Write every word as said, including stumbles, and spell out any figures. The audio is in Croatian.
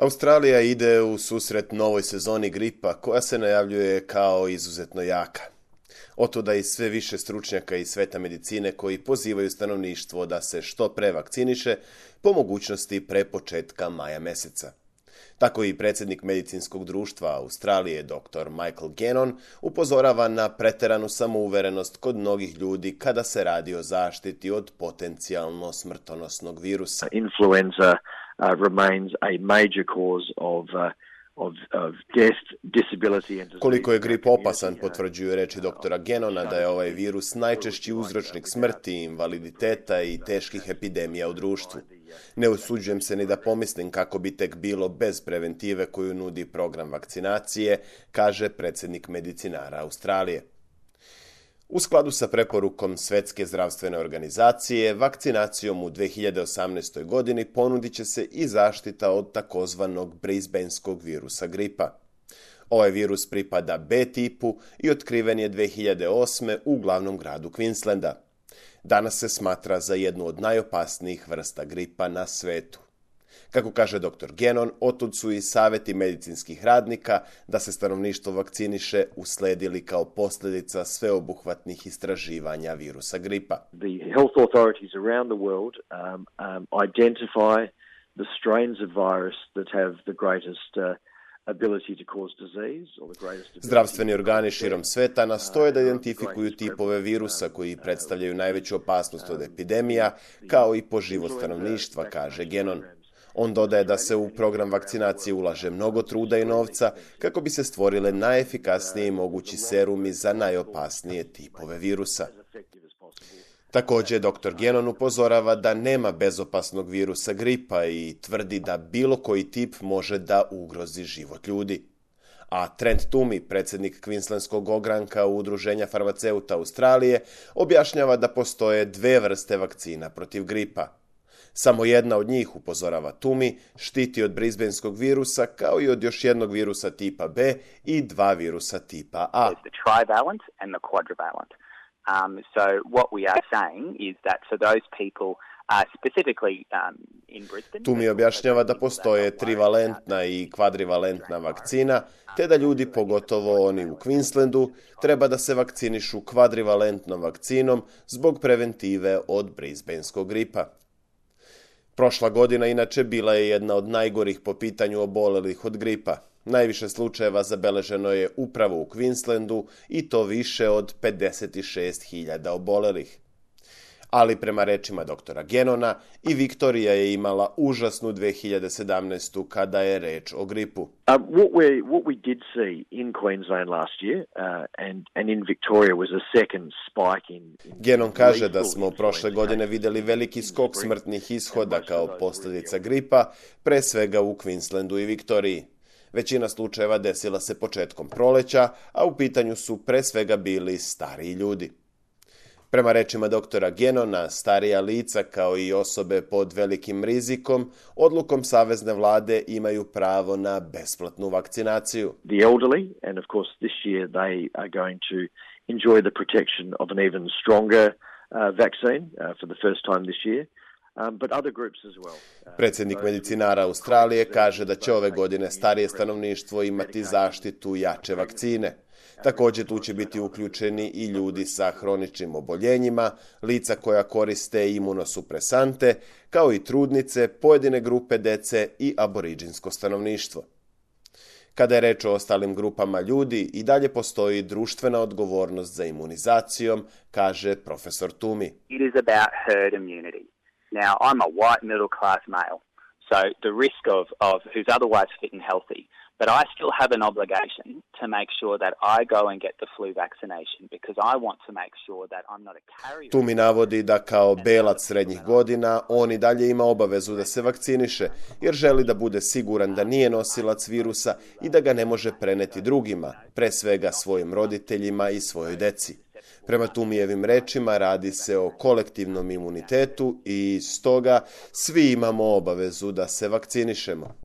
Australija ide u susret novoj sezoni gripa koja se najavljuje kao izuzetno jaka. Otuda i sve više stručnjaka iz sveta medicine koji pozivaju stanovništvo da se što pre vakciniše, po mogućnosti pre početka maja meseca. Tako i predsjednik medicinskog društva Australije, doktor Michael Gannon, upozorava na preteranu samouverenost kod mnogih ljudi kada se radi o zaštiti od potencijalno smrtonosnog virusa. Influenza uh, remains a major cause of uh, Of, of death, disability and Koliko je grip opasan, potvrđuju reči doktora Gannona da je ovaj virus najčešći uzročnik smrti, invaliditeta i teških epidemija u društvu. Ne usuđujem se ni da pomislim kako bi tek bilo bez preventive koju nudi program vakcinacije, kaže predsjednik medicinara Australije. U skladu sa preporukom Svjetske zdravstvene organizacije, vakcinacijom u dvije hiljade osamnaestoj. godini ponudit će se i zaštita od takozvanog brisbaneskog virusa gripa. Ovaj virus pripada B tipu i otkriven je dvije hiljade osme. u glavnom gradu Queenslanda. Danas se smatra za jednu od najopasnijih vrsta gripa na svetu. Kako kaže doktor Gannon, otud su i savjeti medicinskih radnika da se stanovništvo vakciniše usledili kao posljedica sveobuhvatnih istraživanja virusa gripa. The health authorities around the world um, um, identify the strains of virus that have the greatest uh, ability to cause disease or the greatest ability... Zdravstveni organi širom sveta nastoje da identifikuju tipove virusa koji predstavljaju najveću opasnost od epidemija, kao i po život stanovništva, kaže Gannon. On dodaje da se u program vakcinacije ulaže mnogo truda i novca kako bi se stvorile najefikasniji mogući serumi za najopasnije tipove virusa. Također, doktor Gannon upozorava da nema bezopasnog virusa gripa i tvrdi da bilo koji tip može da ugrozi život ljudi. A Trent Toomey, predsjednik Queenslandskog ogranka Udruženja farmaceuta Australije, objašnjava da postoje dve vrste vakcina protiv gripa. Samo jedna od njih, upozorava Toomey, štiti od brisbaneskog virusa kao i od još jednog virusa tipa B i dva virusa tipa A. The trivalent and the quadrivalent. Um, so what we are saying is that for those people uh, specifically um, in Brisbane... Toomey objašnjava da postoje trivalentna i kvadrivalentna vakcina, te da ljudi, pogotovo oni u Queenslandu, treba da se vakcinišu kvadrivalentnom vakcinom zbog preventive od brisbaneskog gripa. Prošla godina inače bila je jedna od najgorih po pitanju obolelih od gripa. Najviše slučajeva zabeleženo je upravo u Queenslandu i to više od pedeset šest hiljada obolelih. Ali prema rečima doktora Gannona, i Viktorija je imala užasnu dvije hiljade sedamnaestu. kada je reč o gripu. Uh, what, we, what we did see in Queensland last year uh, and, and in Victoria was a second spike in... in Gannon kaže da smo prošle godine vidjeli veliki skok smrtnih ishoda kao posljedica gripa, pre svega u Queenslandu i Viktoriji. Većina slučajeva desila se početkom proleća, a u pitanju su pre svega bili stariji ljudi. Prema rečima doktora Gannona, starija lica kao i osobe pod velikim rizikom, odlukom savezne vlade imaju pravo na besplatnu vakcinaciju. The elderly, and of course this year they are going to enjoy the protection of an even stronger uh, vaccine uh, for the first time this year. Um, but other groups as well. Uh, Predsjednik medicinara Australije kaže da će ove godine starije stanovništvo imati zaštitu jače vakcine. Također tu će biti uključeni i ljudi sa hroničnim oboljenjima, lica koja koriste imunosupresante, kao i trudnice, pojedine grupe dece i aboriđinsko stanovništvo. Kada je reč o ostalim grupama ljudi, i dalje postoji društvena odgovornost za imunizacijom, kaže profesor Toomey. It is about herd immunity. Now, I'm a white middle class male, so the risk of, of who's otherwise fit and healthy, but I still have an obligation to make sure that I go and get the flu vaccination because I want to make sure that I'm not a carrier. Toomey navodi da kao belac srednjih godina on i dalje ima obavezu da se vakciniše jer želi da bude siguran da nije nosilac virusa i da ga ne može preneti drugima, pre svega svojim roditeljima i svojoj deci. Prema Toomeyjevim rečima radi se o kolektivnom imunitetu i stoga svi imamo obavezu da se vakcinišemo.